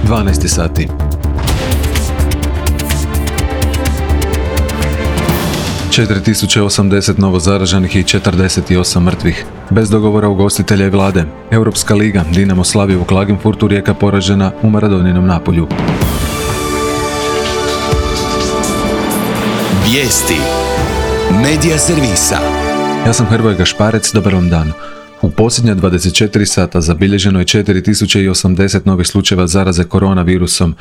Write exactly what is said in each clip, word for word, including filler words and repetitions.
dvanaest sati. četiri tisuće osamdeset novozaraženih i četrdeset osam mrtvih. Bez dogovora ugostitelja i vlade. Europska liga, Dinamo slavi u Klagenfurtu, Rijeka poražena u Maradoninom Napolju. Vijesti Medija servisa. Ja sam Hrvoje Gašparec, dobar vam dan. U posljednja dvadeset četiri sata zabilježeno je četiri tisuće osamdeset novih slučajeva zaraze koronavirusom,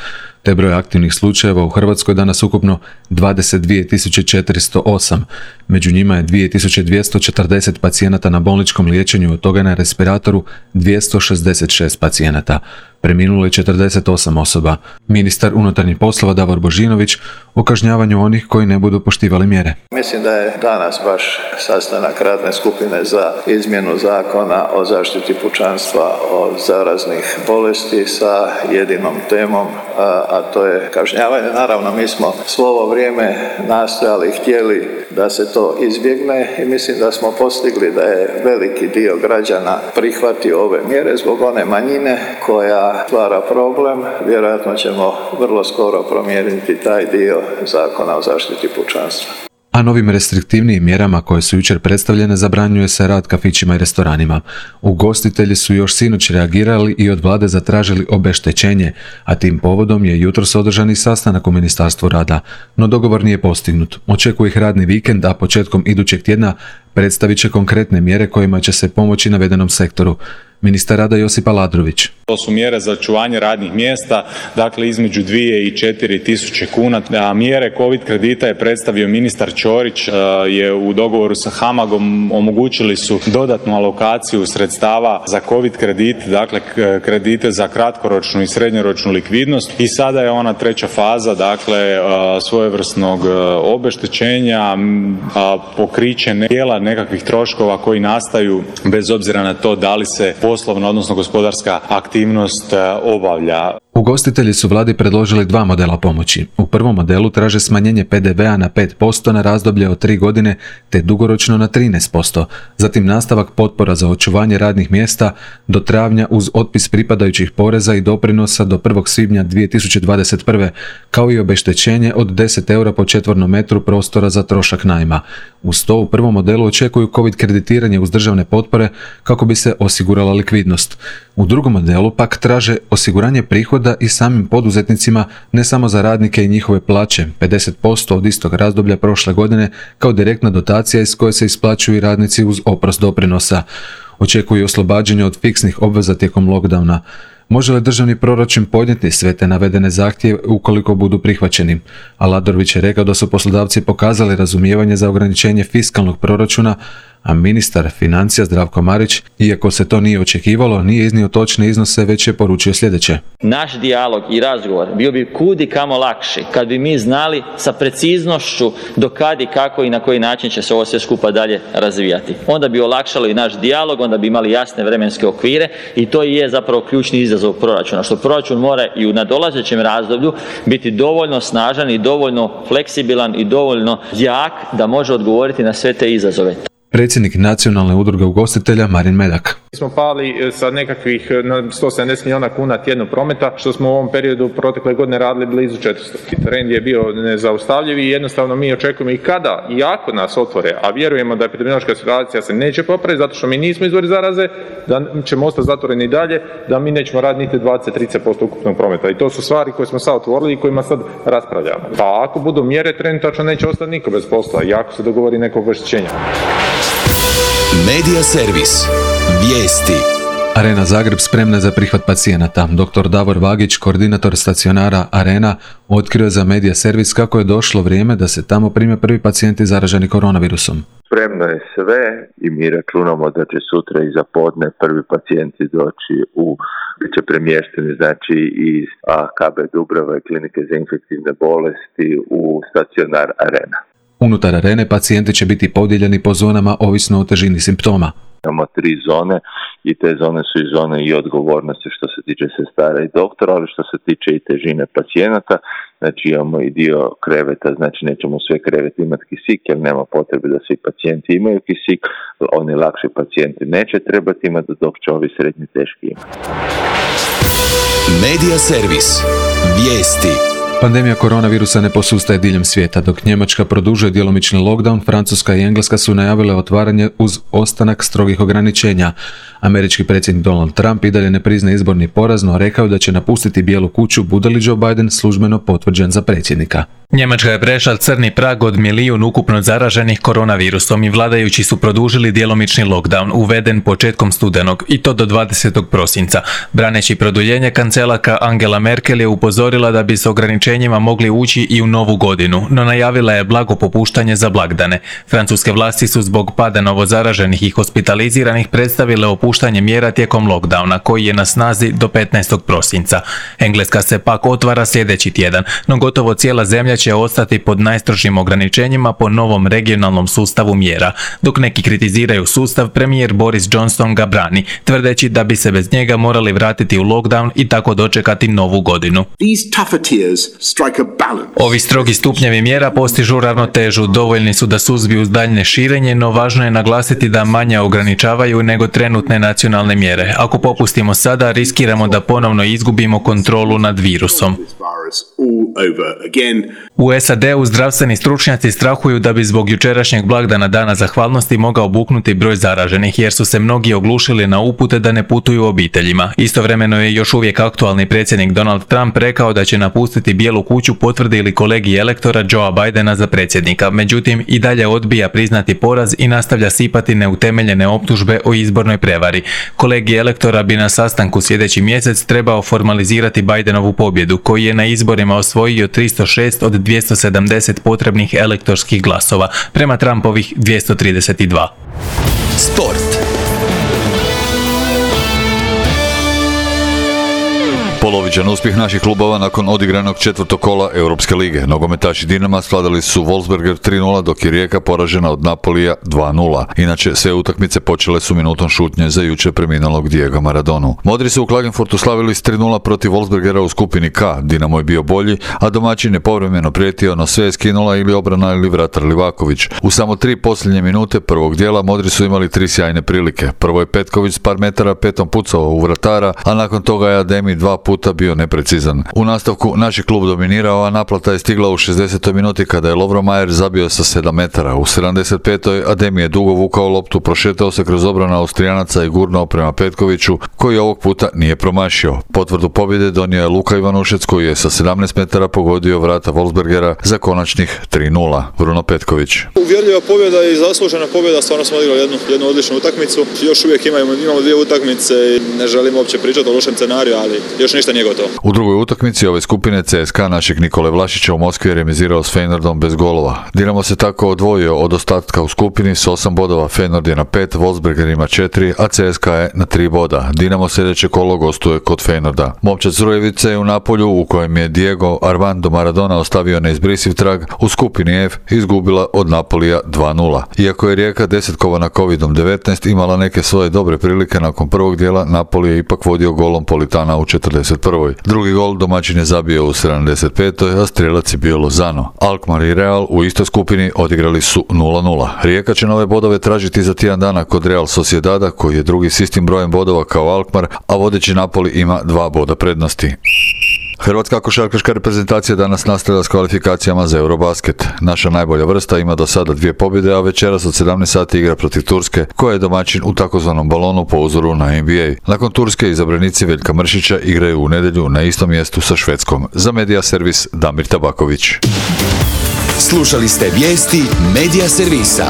te broj aktivnih slučajeva u Hrvatskoj danas ukupno dvadeset dvije tisuće četiristo osam. Među njima je dvije tisuće dvjesto četrdeset pacijenata na bolničkom liječenju, od toga na respiratoru dvjesto šezdeset šest pacijenata. Preminulo je četrdeset osam osoba. Ministar unutarnjih poslova Davor Božinović o kažnjavanju onih koji ne budu poštivali mjere. Mislim da je danas baš sastanak radne skupine za izmjenu zakona o zaštiti pučanstva od zaraznih bolesti sa jedinom temom, a to je kažnjavanje. Naravno, mi smo svo ovo vrijeme nastojali i htjeli da se to izbjegne i mislim da smo postigli da je veliki dio građana prihvatio ove mjere. Zbog one manjine koja stvara problem, vjerojatno ćemo vrlo skoro promijeniti taj dio zakona o zaštiti pučanstva. A novim restriktivnijim mjerama koje su jučer predstavljene zabranjuje se rad kafićima i restoranima. Ugostitelji su još sinoć reagirali i od vlade zatražili obeštećenje, a tim povodom je jutros održan i sastanak u Ministarstvu rada. No dogovor nije postignut. Očekuje ih radni vikend, a početkom idućeg tjedna predstavit će konkretne mjere kojima će se pomoći navedenom sektoru. Ministar rada Josip Aladrović. To su mjere za očuvanje radnih mjesta, dakle između dvije i četiri tisuće kuna. A mjere COVID kredita je predstavio ministar Ćorić, je u dogovoru sa HAMAG-om omogućili su dodatnu alokaciju sredstava za COVID kredit, dakle kredite za kratkoročnu i srednjoročnu likvidnost, i sada je ona treća faza, dakle svojevrsnog obeštećenja, pokriće dijela nekakvih troškova koji nastaju bez obzira na to da li se poslovna, odnosno gospodarska aktivnost obavlja. Ugostitelji su vladi predložili dva modela pomoći. U prvom modelu traže smanjenje pe de vea na pet posto na razdoblje od tri godine te dugoročno na trinaest posto. Zatim nastavak potpora za očuvanje radnih mjesta do travnja uz otpis pripadajućih poreza i doprinosa do prvog svibnja dvije tisuće dvadeset prve. kao i obeštećenje od deset eura po četvornom metru prostora za trošak najma. Uz to u prvom modelu očekuju COVID kreditiranje uz državne potpore kako bi se osigurala likvidnost. U drugom modelu pak traže osiguranje prihoda i samim poduzetnicima, ne samo za radnike i njihove plaće, pedeset posto od istog razdoblja prošle godine kao direktna dotacija iz koje se isplaćuju i radnici uz oprost doprinosa. Očekuju oslobađanje od fiksnih obveza tijekom lockdowna. Može li državni proračun podnijeti sve te navedene zahtjeve ukoliko budu prihvaćeni? Aladrović je rekao da su poslodavci pokazali razumijevanje za ograničenje fiskalnog proračuna, a ministar financija Zdravko Marić, iako se to nije očekivalo, nije iznio točne iznose, već je poručio sljedeće. Naš dijalog i razgovor bio bi kudi kamo lakši kad bi mi znali sa preciznošću do kad i kako i na koji način će se ovo sve skupa dalje razvijati. Onda bi olakšalo i naš dijalog, onda bi imali jasne vremenske okvire i to i je zapravo ključni izazov proračuna, što proračun mora i u nadolazećem razdoblju biti dovoljno snažan i dovoljno fleksibilan i dovoljno jak da može odgovoriti na sve te izazove. Predsjednik Nacionalne udruge ugostitelja Marin Medak. Mi smo pali sa nekakvih na sto sedamdeset milijuna kuna tjedno prometa, što smo u ovom periodu protekle godine radili blizu četiristo. Trend je bio nezaustavljiv i jednostavno mi očekujemo i kada i ako nas otvore, a vjerujemo da epidemiološka situacija se neće popraviti zato što mi nismo izvori zaraze, da ćemo ostati zatvoreni i dalje, da mi nećemo raditi niti dvadeset do trideset posto ukupnog prometa. I to su stvari koje smo sad otvorili i kojima sad raspravljamo. Pa ako budu mjere, trenutačno neće ostati niko bez posla i ako se dogovori neko obeštećenje. Medija servis. Vijesti. Arena Zagreb spremna za prihvat pacijenata. doktor Davor Vagić, koordinator stacionara Arena, otkrio za Medija servis kako je došlo vrijeme da se tamo prime prvi pacijenti zaraženi koronavirusom. Spremno je sve i mi računamo da će sutra i za podne prvi pacijenti doći u, bit će premješteni znači iz ka be Dubrava i klinike za infektivne bolesti u stacionar Arena. Unutar Arene pacijenti će biti podijeljeni po zonama ovisno o težini simptoma. Imamo tri zone i te zone su i zone i odgovornosti što se tiče sestara i doktora, ali što se tiče i težine pacijenata. Znači imamo i dio kreveta, znači nećemo sve kreveti imati kisik, jer nema potrebe da svi pacijenti imaju kisik, oni lakši pacijenti neće trebati imati, dok će ovi srednji teški imati. Medija servis. Vijesti. Pandemija koronavirusa ne posustaje diljem svijeta. Dok Njemačka produžuje djelomični lockdown, Francuska i Engleska su najavile otvaranje uz ostanak strogih ograničenja. Američki predsjednik Donald Trump i dalje ne priznaje izborni poraz, no rekao da će napustiti Bijelu kuću bude li Joe Biden službeno potvrđen za predsjednika. Njemačka je prešla crni prag od milijun ukupno zaraženih koronavirusom i vladajući su produžili djelomični lockdown, uveden početkom studenog, i to do dvadesetog prosinca. Braneći produljenje, kancelarka Angela Merkel je upozorila da bi s ograničenjima mogli ući i u novu godinu, no najavila je blago popuštanje za blagdane. Francuske vlasti su zbog pada novozaraženih i hospitaliziranih predstavile opuštanje mjera tijekom lockdowna, koji je na snazi do petnaestog prosinca. Engleska se pak otvara sljedeći tjedan, no gotovo cijela zemlja će ostati pod najstrožim ograničenjima po novom regionalnom sustavu mjera. Dok neki kritiziraju sustav, premijer Boris Johnson ga brani, tvrdeći da bi se bez njega morali vratiti u lockdown i tako dočekati novu godinu. Ovi strogi stupnjevi mjera postižu ravnotežu, dovoljni su da suzbiju daljnje širenje, no važno je naglasiti da manje ograničavaju nego trenutne nacionalne mjere. Ako popustimo sada, riskiramo da ponovno izgubimo kontrolu nad virusom. U S A D-u zdravstveni stručnjaci strahuju da bi zbog jučerašnjeg blagdana Dana zahvalnosti mogao buknuti broj zaraženih, jer su se mnogi oglušili na upute da ne putuju obiteljima. Istovremeno je još uvijek aktualni predsjednik Donald Trump rekao da će napustiti Bijelu kuću potvrdi li kolegi elektora Joea Bidena za predsjednika. Međutim, i dalje odbija priznati poraz i nastavlja sipati neutemeljene optužbe o izbornoj prevari. Kolegi elektora bi na sastanku sljedeći mjesec trebao formalizirati Bidenovu pobjedu, koji je na izborima osvojio tristo šest od dvjesto sedamdeset potrebnih elektorskih glasova, prema Trumpovih dvjesto trideset dva. Sport. Polovičan uspjeh naših klubova nakon odigranog četvrtog kola Europske lige. Nogometaši Dinama svladali su Wolfsberger tri nula, dok je Rijeka poražena od Napolija dva nula. Inače, sve utakmice počele su minutom šutnje za jučer preminulog Diego Maradonu. Modri su u Klagenfurtu slavili s tri nula protiv Wolfsbergera u skupini K. Dinamo je bio bolji, a domaćin je povremeno prijetio, no sve je skinula ili obrana ili vratar Livaković. U samo tri posljednje minute prvog dijela Modri su imali tri sjajne prilike. Prvo je Petković s par metara petom pucao u vratara, a nakon toga je Ademi dva puta bio neprecizan. U nastavku naš je klub dominirao, a naplata je stigla u šezdesetoj minuti kada je Lovro Majer zabio sa sedam metara. U sedamdeset petoj Ademi je dugo vukao loptu, prošetao se kroz obranu Austrijanaca i gurnuo prema Petkoviću, koji ovog puta nije promašio. Potvrdu pobjede donio je Luka Ivanušec, koji je sa sedamnaest metara pogodio vrata Wolfsbergera za konačnih tri nula. Bruno Petković. Uvjerljiva pobjeda i zaslužena pobjeda, stvarno smo odigrali jednu, jednu odličnu utakmicu. Još uvijek imamo, imamo dvije utakmice i ne želim uopće pričati o lošem scenariju, ali još ništa nije gotovo. U drugoj utakmici ove skupine C S K A našeg Nikole Vlašića u Moskvi je remizirao s Feyenoordom bez golova. Dinamo se tako odvojio od ostatka u skupini s osam bodova, Feyenoord je na pet, Wolfsberger ima četiri, a C S K A je na tri boda. Dinamo sljedeće kolo gostuje kod Feyenoorda. Momčad Zrujevice je u Napolju, u kojem je Diego Armando Maradona ostavio neizbrisiv trag, u skupini F izgubila od Napolija dva nula. Iako je Rijeka desetkovana kovidom devetnaest imala neke svoje dobre prilike nakon prvog dijela, Napoli je ipak vodio golom Politana u četrdeset prvoj. Drugi gol domaćin je zabio u sedamdeset petoj, a strijelac je bio Lozano. Alkmaar i Real u istoj skupini odigrali su nula nula. Rijeka će nove bodove tražiti za tjedan dana kod Real Sociedada, koji je drugi s istim brojem bodova kao Alkmaar, a vodeći Napoli ima dva boda prednosti. Hrvatska košarkaška reprezentacija danas nastavlja s kvalifikacijama za Eurobasket. Naša najbolja vrsta ima do sada dvije pobjede, a večeras od sedamnaest sati igra protiv Turske, koja je domaćin u takozvanom balonu po uzoru na N B A. Nakon Turske izabranici Veljka Mršića igraju u nedjelju na istom mjestu sa Švedskom. Za Medija servis Damir Tabaković. Slušali ste vijesti Medija servisa.